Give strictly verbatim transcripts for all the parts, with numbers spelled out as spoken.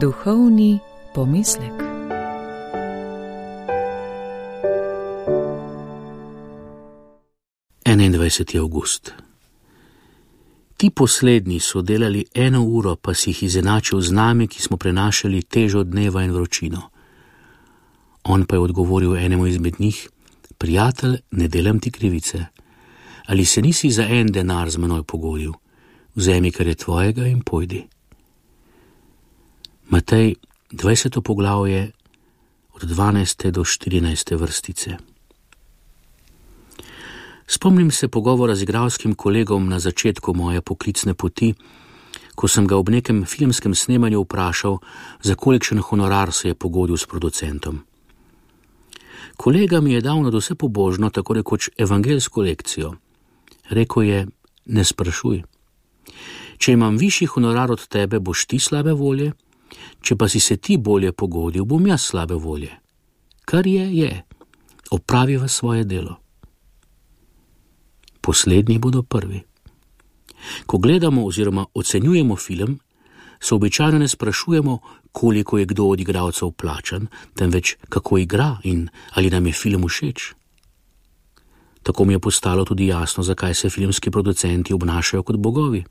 Duhovni pomislek. enaindvajseti avgust. Ti poslednji so delali eno uro, pa si jih izenačil z nami, ki smo prenašali težo dneva in vročino. On pa je odgovoril enemu izmed njih: prijatelj, ne delam ti krivice. Ali se nisi za en denar z menoj pogodil? Vzemi, kar je tvojega, in pojdi. Matej, dvajseto poglavje, od dvanajste do štirinajste vrstice. Spomnim se pogovora z igralskim kolegom na začetku moje poklicne poti, ko sem ga ob nekem filmskem snemanju vprašal, za kolikšen honorar se je pogodil s producentom. Kolega mi je dal nadvse pobožno, tako rekoč evangeljsko lekcijo. Rekel je: ne sprašuj. Če imam višji honorar od tebe, boš ti slabe volje, če pa si se ti bolje pogodil, bom jaz slabe volje. Kar je, je. Opraviva svoje delo. Poslednji bodo prvi. Ko gledamo oziroma ocenjujemo film, se običajno ne sprašujemo, koliko je kdo od igralcev plačan, temveč kako igra in ali nam je film všeč. Tako mi je postalo tudi jasno, zakaj se filmski producenti obnašajo kot bogovi.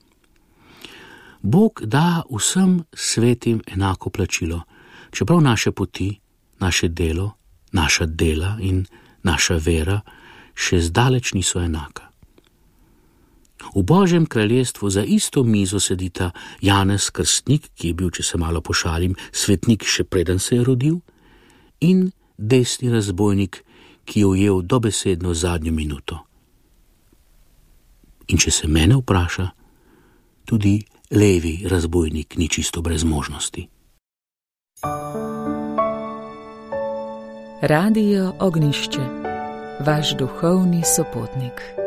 Bog da vsem svetim enako plačilo, čeprav naše poti, naše delo, naša dela in naša vera še zdaleč niso enaka. V Božjem kraljestvu za isto mizo sedita Janez Krstnik, ki je bil, če se malo pošalim, svetnik še preden se je rodil, in desni razbojnik, ki je ujel dobesedno zadnjo minuto. In če se mene vpraša, tudi levi razbojnik ni čisto brez možnosti. Radio Ognjišče, vaš duhovni sopotnik.